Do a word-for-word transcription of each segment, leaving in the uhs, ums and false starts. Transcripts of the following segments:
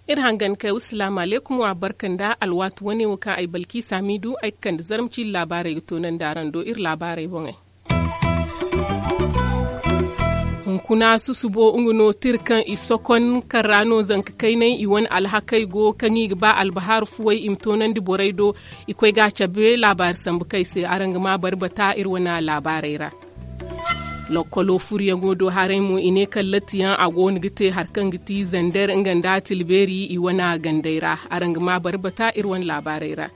Iri hangan kay wa salaamu alaykum wa barka nda alwaati wane wo kaŋ ay balki saamiidu ay ga kande zarma ciiri laabaarey ga toonandi araŋ do iri laabaarey boŋey. Hunkuna susubo nga no tira kaŋ i sokon kaŋ ra no zanka kaynay i wane alhakey go kaŋ i ga ba albahaaru fuwey i ma toonandi borey do. I koy ga a cabe laabaari sambu kay se araŋ ga ma bari bata iri wane laabaarey ra. Lokkolo furyaŋo do haray mo i ne kallatiyaŋ a go no ga te hari kaŋ ga ti zander nga nda tilbeeri i wane gandey ra. Araŋ ga ma bari bata iri wane laabaarey ra.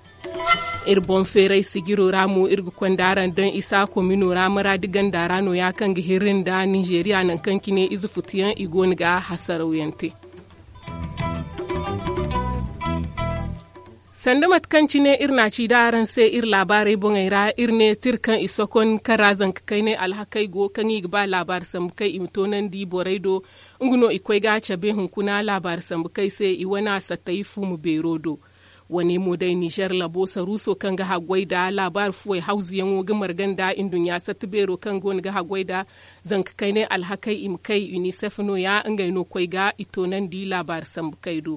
Iri boŋ feeray sijiro ra mo iri ga konda araŋ daŋ isa komino ra maraadi ganda ra no- ya kaŋ ga hirri nda ninzeeriya nangu kaŋ cine ize futuyaŋ i go no ga hasarawyaŋ te. Sanda mate kaŋ cine iri na a ci da araŋ se iri laabaarey boŋey ra iri ne tira kaŋ i sokon kaŋ ra zanka kaynay alhakey go kaŋ i ga ba laabaari sambu kaŋ i ma toonandi borey do. Nga no i koy ga cabe hunkuna laabaari sambu kaŋ ay se i wane a sattay fuuma beero do. Wane mo day nizer labo saruuso kaŋ ga haggoy nda laabaari fuwey hawzuyaŋo ga marga nda nduɲɲa satta beero kaŋ go no ga haggoy nda zanka kaynay alhakey i ma kay unicef no- ya ngey no koy ga i toonandi laabaari sambu kay do.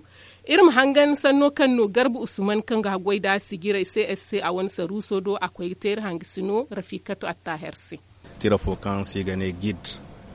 Iri ma hangan sanno kaŋ no garba usman kaŋ ga haggoy nda sijirey csc a wane saruuso do a koy ga te iri hangasino rafiikatu attaaher se. Tira fo kaŋ se i ga ne gid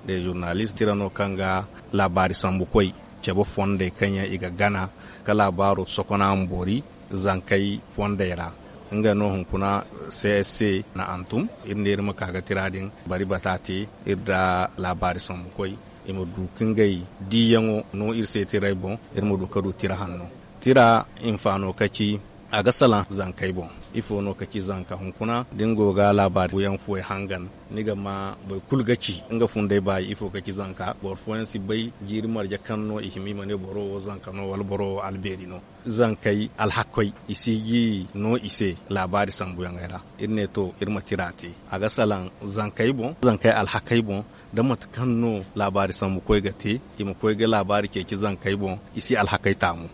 de zurnalist tira no kaŋ ga laabaari sambukoy cabe fondey kaŋ yaŋ i ga gana ka laabaaro sokona ma boori zankey fondey ra. Nga no hunkuna csc na hantum iri ne iri ma ka ga tira din bari bata te iri nda laabaari sambukoy i ma du ka ngey diiyaŋo no iri se tirey boŋ. Iri ma du ka du tira hanno tira hinfaano ka ci a ga salaŋ zankey boŋ. Ifo no ka ci zanka hunkuna da ni go ga laabaari buyaŋ fuwey hangan ni ga ma boro kulu ga ci nga funday baayi ifo ka ci zanka boro fooyaŋ si bay jiiri marje kaŋ no i hima i ma ne boro wo zanka no wala boro wo albeeri no. Zankey alhakoy i si ga no i se laabaari sambuyaŋey ra. Iri ne to iri ma tira te a ga salaŋ zankey boŋ zankey alhakey boŋ da mate kaŋ no laabaari sambukoy ga te i ma koy ga laabaari ceeci zankey boŋ i si alhakey taamu.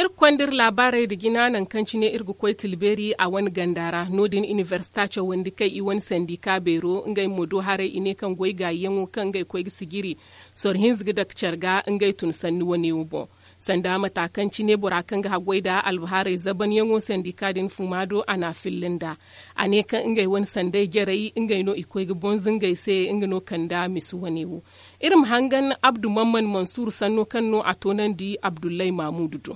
Iri ga konda iri laabaarey nda jina nangu kaŋ cine iri ga koy tilbeeri a wane ganda ra no- din inibersita cawandi kaŋ i wane sandika beero ngey mo do haray i ne kaŋ goy gaayiyaŋo kaŋ ngey koy ga sijiri soro hinza ga dake care ga ngey tun sanni wane wo boŋ. Sanda mata kaŋ cine bora kaŋ ga haggoy nda albahaarey zabanyaŋo sandika din fuma do a n'a filla nd'a. A ne kaŋ ngey wane sanday jarey ngey no i koy ga bonza ngey se nga no kanda misi wane wo. Iri ma hangan abdu mamman mansuur sanno kaŋ no a toonandi abdullay maamuudu do.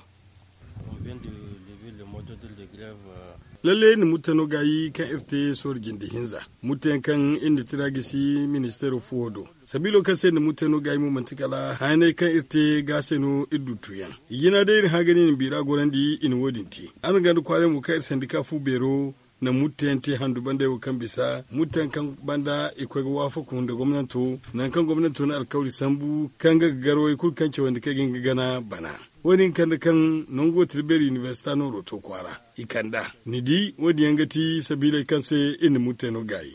Lalle iri na mutano gaayi kaŋ iri te sohõ jinde hinza. Mutayaŋ kaŋ iri na tira gisi ministeero fuwo do sabiilo kaŋ se iri na mutano gaayi mo manti kala hayaney kaŋ iri te ga se no iri du tuuyaŋ. I jina day iri hã ga ne iri ma biira gorandi i na wo- din te. Araŋ ganda kwaaray mo kaŋ iri sandika fu beero na mutteyaŋ te handu bandey wo kaŋ bisa mutteyaŋ kaŋ banda i koy ga waafaku nda gomnanto nangu kaŋ gomnanto na alkawri sambu kaŋ ga ga garwey kulu kaŋ cawandi kaŋ ga hin ga gana bana. Wo- din kande kaŋ nango tira beeri inibersita nooro to kwaara i kand'a ni di wo- din yaŋ ga ti sabiiley kaŋ se iri na mutteyaŋ no gaayi.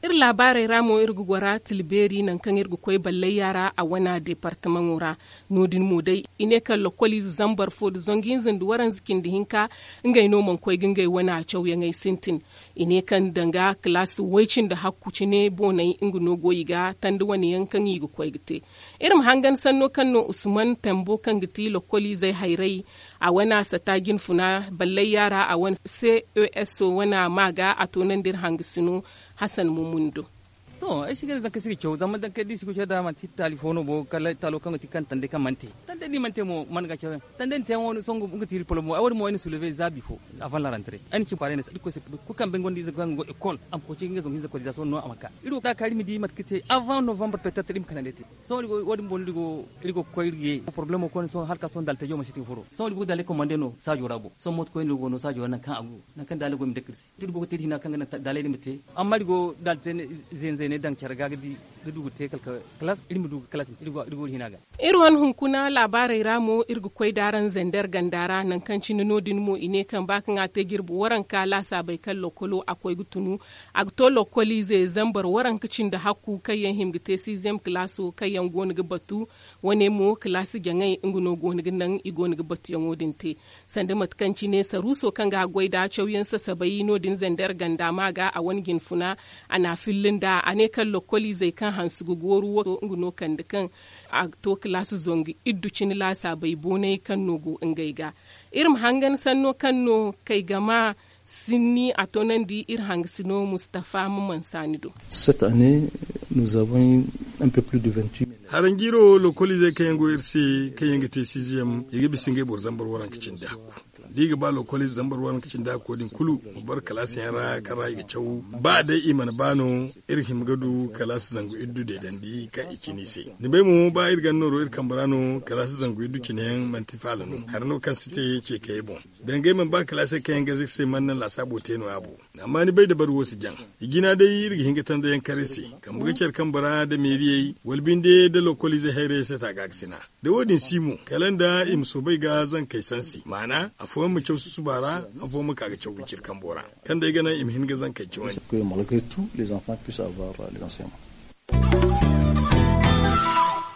Iri laabaarey ra mo iri ga gora tilbeeri nangu kaŋ iri ga koy ballayya ra a wana deepartamaŋo ra. No- din mo day i ne kaŋ lokoliize zambar fo nda zangu hinza nda waranza cindi hinka ngey no mana koy ga ngey wana cawyaŋey sintin. I ne kaŋ danga kalaasi way-cindi hakku cine booney nga no go i ga tanda wane yaŋ kaŋ i ga koy ga te. Iri ma hangan sanno kaŋ no usman tambo kaŋ ga ti lokoliizey hayray a wana sata jinfuna ballayya ra a wane ces wana ma ga a toonandi iri hangasino. Hasan mumun do. Sohõ ay si ga ne zankey si ga caw zama zankey da i si ga caw da manti taali fo no bo kala taalo kaŋ ga ti kaŋ tandey kaŋ mana te. Tandey da i mana te mo mana ga caw yaŋ tandey na te yaŋo sohõ nga ti iri polomo ay wo- din mo ay na suleve za bifo. Avant la rentrée ay na ci kwaaray ne se irkoy se kulu kaŋ bay gonda ize kaŋ go école a ma koy ci ngey zangu hinza koy za sohõ no a ma ka. Iri wo da kaari ma di mate kaŋ te avant novembre petet iri ma kanandey te. Sohõ wo- din boŋ no iri go koy iri ye problemo koyne sohõ hala ka sohõ daltejo mansi ti ga furo sohõ iri go ga daaley komande no saajo ra boŋ sohõ mooto koyne iri go no saajo ra nangu kaŋ a go nangu kaŋ daaley go i ma dake iri se. Iri go ga te da hina kaŋ ga naŋ daaley din ma te amma iri go daali te ne. Zenze. Ne daŋ care ga ga du ga te kala kalaas iri ma du ga kalaas iri go da hina ga. Iri wane hunkuna laabaarey ra mo iri ga koy da araŋ zander ganda ra nangu kaŋ cine no- din mo i ne kaŋ ba kaŋ a te jirbi waranka laasaabey kaŋ lokkolo a koy ga tunu. A ga to lokkoliize zambar waranka cindi hakku kaŋ yaŋ hima ga te siiziyem kalaaso kaŋ yaŋ go no ga batu. Wane mo kalaasi jaŋay nga no go no ga naŋ i go no ga batuyaŋo din te. Sanda mate kaŋ cine saruuso kaŋ ga a goy nd'a cawyaŋ sasabay no- din zander ganda ma ga a wane jinfuna. A n'a filli nd'a a ne kaŋ lokkoliizey kaŋ hanse ga gooru wo nga no kande kaŋ a to kalaasi zangu iddu cine laasaabey boonay kaŋ no go ngey ga. Iri ma hangan sanno kaŋ no kay gama sinni a toonandi iri hangasino mustafa ma mansaani do. Cette année, nous avons eu un peu plus de vingt-huit mille. Haranjiiro wo lokkoliizey kaŋ yaŋ go iri se kaŋ yaŋ ga te siiziyem i ga bisa ngey boro zambar waranka cindi hakku. Da i ga ba lokkoliize zambar waranka cindi hakko din kulu ma boro kalaasiyaŋ ra kaŋ ra i ga caw. Ba day i mana ba no iri hima ga du kalaasi zangu iddu deedandi kaŋ i cine i se. Ni bay mo ba iri ganda nooro iri kambe ra no kalaasi zangu iddu cineyaŋ manti faala no hari no kaŋ si te ceekayey boŋ. Dangay mana ba kalaasey kaŋ yaŋ ga zaka se mana naŋ laasaabo te no-ya bo. Amma ni bay dabari wo si jaŋ. I jina day iri ga hin ga tandayaŋ kar i se. Kambe ga care kambe ra nda meeriyey wala binde nda lokkoliize hayrayey se ta gaakasina. Da wo-din si mo kala nda i ma soobay ga zankey sansi maana afooyaŋ ma caw susuba ra. Afooyaŋ ma ka ga caw ga ciri kambo ra kaŋ day ga naŋ i ma hin ga zankey cawandi.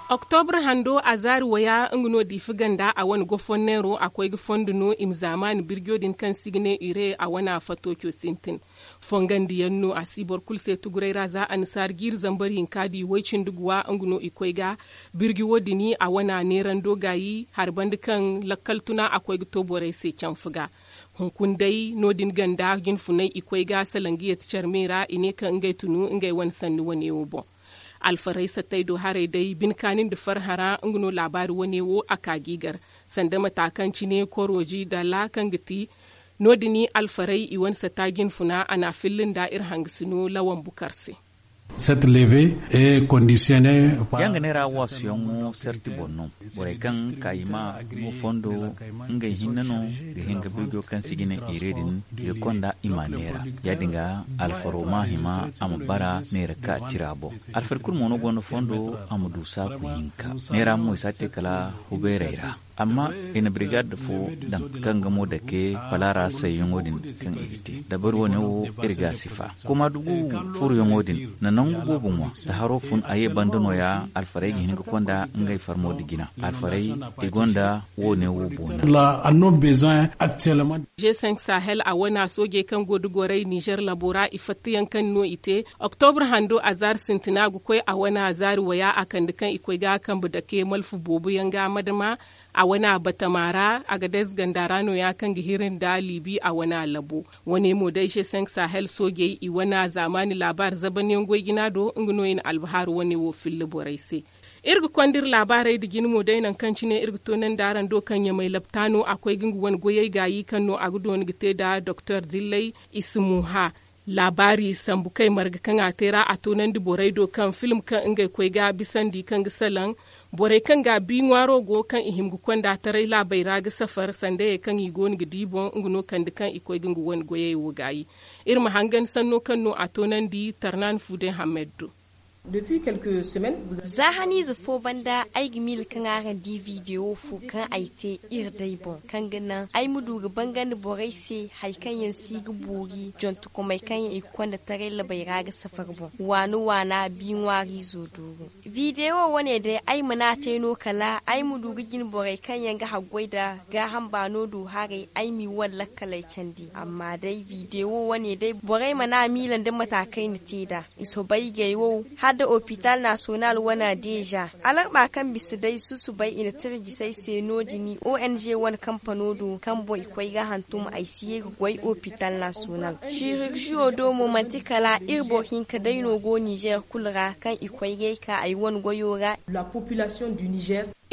Oktobra hando a zaari waya nga no diifa ganda a wane gofonneero a koy ga fondo no i ma zaamaani birjo din kaŋ si ga ne ire a wane a fatooco sintin. Fongandiyaŋ no a si boro kulu se tuguray ra za annasaara jiiri zambar hinka di way-cindi guwa nga no i koy ga. Birji wo- din a wana neerando gaayi hari banda kaŋ lakkal tuna a koy ga to borey se canfa ga. Hunkuna day no- din ganda jinfunay i koy ga salaŋ ga yeeti care me ra i ne kaŋ ngey tunu ngey wane sanni wane wo boŋ. Alfarey sattey do haray day bine kaani nda farhã ra nga no laabaari wane wo a ka g'i gar. Sanda mata kaŋ cine korooji dala kaŋ ga ti no- din alfarey i wane satta jinfuna a n'a filla nda iri hangasino lawan bukar se. Yaŋ ga neera waasuyaŋo sarti boŋ no. Borey kaŋ ka i ma mo fondo ngey hinne no ga hin ga birjo kaŋ si ga ne ire din ga konda i ma neera. Ya- din ga alfaro ma hima a ma bara neera ka tira boŋ. Alfari kulu mo no gonda fondo a ma du saaku hinka. Neera mo i si a te kala hubeerey ra. Amma i na birigad fo daŋ kaŋ ga mo dake palaara sayyaŋo din kaŋ i ga te dabari wane wo iri ga a sifa kuma dugu furuyaŋo din na nangu boobo ŋwa. Da haro fun a ye banda nooya alfarey ga hin ga konda ngey farmo da jina alfarey i gonda woone wo boona. G cinq sahel a wana soojey kaŋ go da gorey nizer labo ra i fattayaŋ kaŋ no i te oktobra hando a zaari sintina ga koy a wana zaari waya a kande kaŋ i koy ga a kambe dake malfu boobo yaŋ ga madama. A wana batama ra a ga dayze ganda ra nooya kaŋ ga hiri nda liibi a wana labo. Wane mo day g cinq sahel soojey i wana zaamaani laabaari zabanyaŋ goy jina do nga no i na albahaaru wane wo filla borey se. Iri ga konda iri laabaarey nda jina mo day nangu kaŋ cine iri ga toonandi araŋ do kaŋ ɲamay laptaano a koy ga nga wane goyey gaayi kaŋ no a ga doona ga te nda doktor dillay. Isimuha laabaari sambu kay marga kaŋ a te ra a toonandi borey do kaŋ film kaŋ ngey koy ga bisandi kaŋ ga salaŋ borey kaŋ ga bi ŋwaaro go kaŋ i hima ga konda taray laabey ra ga safar sandayey kaŋ i go no ga di boŋ nga no kande kaŋ i koy ga nga wane goyey wo gaayi. Iri ma hangan sanno kaŋ no a toonandi tarnaani fu day hammed do. Za haniize fo banda ay ga miila kaŋ araŋ di video fo kaŋ ay te iri day boŋ kaŋ ga naŋ ay ma du ga bangandi borey se hari kaŋ yaŋ si ga boori jontokomey kaŋ yaŋ i ga konda taray labey ra ga safar boŋ. Waana waana bi ŋwaariizo dooru video wane day ay mana a te no kala ay ma du ga jine borey kaŋ yaŋ ga haggoy nda gaaham baano do haray ay m'i wane lakkaley candi amma day video wane day borey mana a miila nda mata kaŋ ay na te nd'a. I soobay gay wo hala nda opital nasonal wane deeza alarba kaŋ bisa day susubay i na tira jisay se no- din ong wane kampano do kaŋ boŋ i koy ga hantum ay si ye ga goy opital nasonal. Sirurjiyo do mo manti kala iri boro hinka day no go nizer kulu ra kaŋ i koy ga ay ka ay wane goyo ra.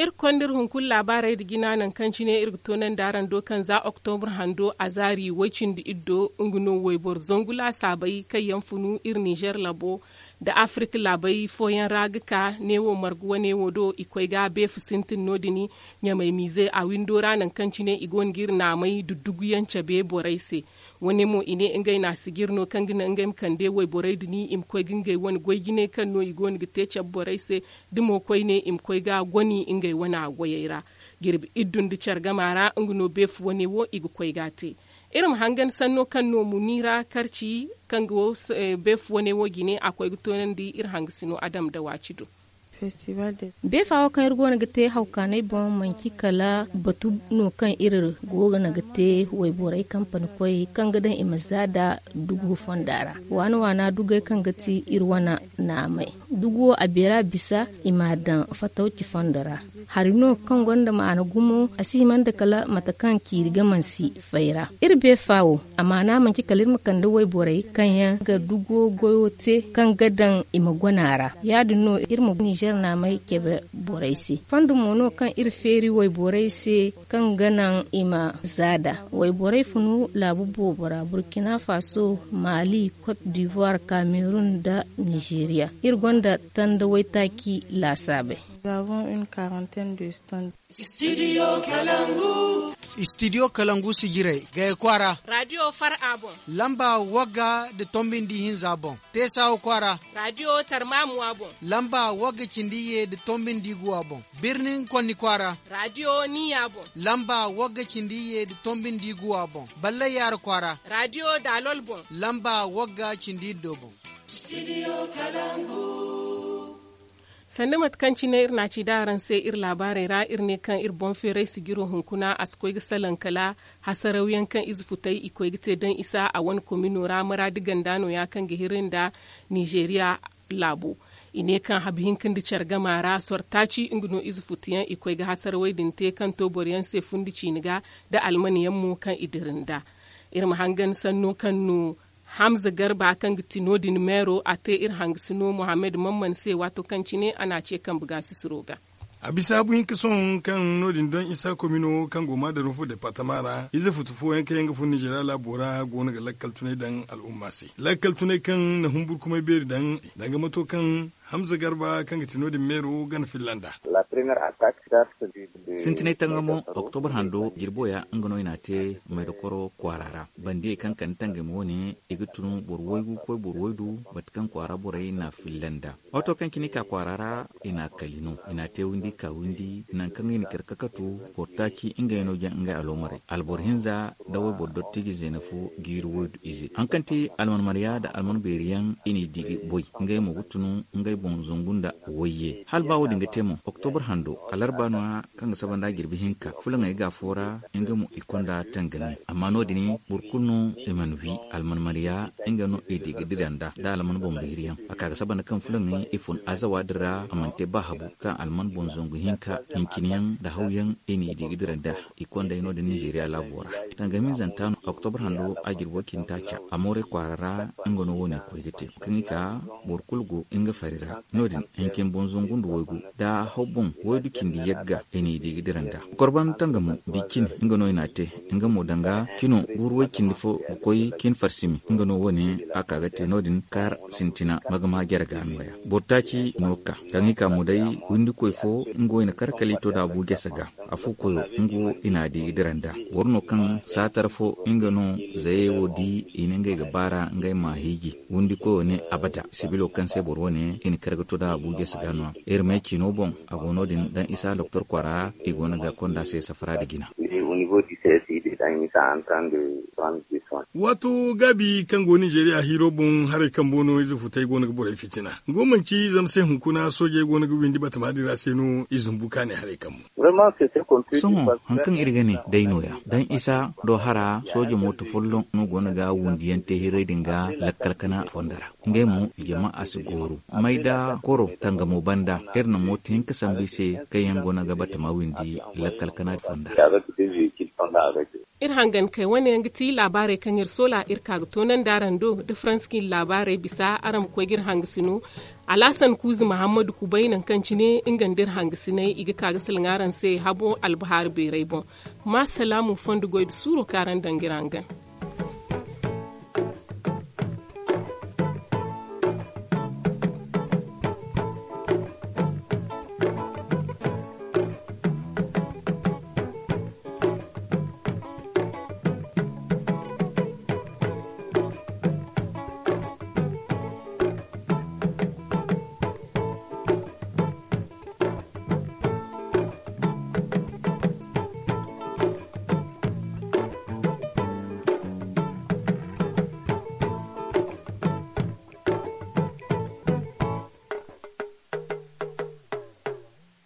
Iri konda iri hunkuna laabaarey nda jina nangu kaŋ cine iri ga toonandi araŋ do kaŋ za oktobra hando a zaari way-cindi iddo nga no wayboro zangu laasaabey kaŋ yaŋ funu iri nizer labo nda afirik laabey fooyaŋ ra ga ka neewo marga wane wo do i koy ga beefa sintin no- din. Ɲamay miize a windo ra nangu kaŋ cine i go no ga iri naamey dudduguyaŋ cabe borey se. Wane mo i ne ngey na a sijir no kaŋ ga naŋ ngey ma kande wayborey din i ma koy ga ngey wane goy jinay kaŋ no i go no ga te cabe borey se. Da mo koyne i ma koy ga a goni ngey wane a goyey ra. Jirbi iddu nda care gama ra nga no beefu wane wo i ga koy ga a te. Iri ma hangan sanno kaŋ no muniira karci kaŋ ga wo beefu wane wo jine a koy ga toonandi iri hangasino a dam da waaci do. Beefa wo kaŋ iri go no ga te hawkaanay boŋ manci kala batu no kaŋ iri go no ga te wayborey kampani koy kaŋ ga daŋ i ma za da dugu fonda ra. Waana waana dugey kaŋ ga ti iri wane naamay dugu wo a beera bisa i m'a daŋ fatawci fondo ra. Hari no kaŋ gonda maana gumo a si hima nda kala mate kaŋ ciiri ga mansi fay ra. Iri beefa wo a maana manci kala iri ma kande wayborey kaŋ yaŋ ga dugo goyo te kaŋ ga daŋ i ma gona ra. Ya- din no iri ma nizer naamay cebe borey se fondo mo no kaŋ iri feeri wayborey se kaŋ ga naŋ i ma zaada. Wayborey funu laabu boobo ra burkina faso, mali, cote d'ivoire, cameroun nda nizeeriya. Iri gonda tanda waytaaci laasaabey. Studio kalangu. Studio kalangu sijirey gaya kwaara. Radio far a boŋ. Lamba wagga nda tombi nda ihinza boŋ. Teesawa kwaara. Radio tarmamuwa boŋ. Lamba wagga cindi ye nda tombi nda iguwa boŋ. Birnin konni kwaara. Radio niya boŋ. Lamba wagga cindi ye nda tombi nda iguwa boŋ. Ballay yaara kwaara. Radio dalol boŋ. Lamba wagga cindi iddo boŋ. Studio kalangu. Sanda mate kaŋ cine iri na a ci da araŋ se iri laabaarey ra iri ne kaŋ iri boŋ feeray sijiro hunkuna a si koy ga salaŋ kala hasarawyaŋ kaŋ ize futay i koy ga te daŋ isa a wane komino ra maraadi ganda no- ya kaŋ ga hiri nda nizeeriya laabo. I ne kaŋ habu hinka nda care gama ra sortaaci nga no ize futuyaŋ i koy ga hasarawey din te kaŋ to boroyaŋ se fundi ciini ga nda almanyaŋ mo kaŋ i dira nda. Iri ma hangan sanno kaŋ no hamza garba kaŋ ga ti no- din meero a te iri hangasino mohammed mamman se waato kaŋ cine a na a ce kambe gaasisiro ga. A bisa habu hinka sohõ kaŋ no- din daŋ isa komino kaŋ go maadarufu departama ra ize futu fooyaŋ kaŋ yaŋ ga fun nizeeriya laabo ra go no ga lakkal tunay daŋ al'umma se lakkal tunay kaŋ na humburkumay beeri daŋ danga mato kaŋ hamza garba kaŋ ga ti no- din meero gana filla nd'a. Sintinay tangamo oktobar hando jirbo ya nga no i n'a te maydokoro kwaara ra. Bandiyey kaŋ kande tangami wane i ga tun boro waygu ga koy boro waydu mate kaŋ kwaara borey n'a filla nd'a. Waato kaŋ cine i ka kwaara ra i n'a kali no i n'a te windi ka windi nangu kaŋ i na care kakatu boro taaci ngey no jaŋ ngey aloomarey alboro hinza nda wayboro dottijo zeena fo jiiri waydu ize haŋ kaŋ ti alman marya nda alman beeri yaŋ i n'i di ga boy ngey mo ga tun ngey boŋ zangu nda wayye hala ba wo- din ga te mo oktobar hando alarba no- ya kaŋ ga saba nda jirbi hinka fulaŋey ga afo ra nga mo i konda tangami amma no- din boro kulu no i mana wi alman marya nga no i di ga dira nda nda alman boŋ beeri yaŋ a ka ga saba nda kaŋ fulaŋey i fun azawa din ra a mana te ba habu kaŋ alman boŋ zangu hinka hincine yaŋ nda hawyaŋ i n'i di ga dira nda i konda no- din nizeeriya laabo ra. Tangami zanta no oktobar hando a jirbo cindi taaca a moorey kwaara ra nga no wo- ne koy ga te kaŋ i ka boro kulu go nga fari ra no- din hincin boŋ zangu nda waygu nda haw boŋ waydu cindi yagga i n'i di ga dira nda korban tangamo bi cin nga no i n'a te nga mo danga cino guuru way cindi fo ga koy cin farsimi nga no wo- ne a ka ga te no- din kaar sintina magama jare ga nooya boro taaci no ka kaŋ i ka mo day windikoy fo nga wo i na kar kala i to da bu jese ga. Afu koyo nga wo i n'a di ga dira nda boro no kaŋ saatar fo nga no zayey wo di i ne ngey ga baara ngey ma hiiji windi koyo ne abada sibilo kaŋ se boro wane i na kar ga to da abuja si ga no iri me cino boŋ a go no- din daŋ isa doktor kwara i go no ga konda se safara da jina. Waato gaabi kaŋ go nizeeriya hiiro boŋ haray kambo no ize futay go no ga borey fitina nga wo manci zama se hunkuna soojey go no ga windi batama din ra se no i zumbu ka ne haray kambo. Sohõ haŋ kaŋ iri ga ne day nooya daŋ isa do hara sooje mooto folloŋ no go no ga wundiyaŋ te hiray din ga lakkal kana fondo ra. Ngey mo jama a si gooru may da koro tangamo banda iri na mooto hinka sambu i se kaŋ yaŋ go no ga batama windi lakkal kana fondo ra. Iri hangan kay wane yaŋ ga ti laabaarey kaŋ iri soola iri ka ga toonandi araŋ do da faransi kaŋ iri laabaarey bisa araŋ ma koy ga iri hangasino. Alaasan kuuzi mahammadu kubay nangu kaŋ cine nga nda iri hangasiney i ga ka ga salaŋ araŋ se habo albahaari beeray boŋ. Ma salaamu fondo goy da suuro kaŋ araŋ daŋ ga iri hangan.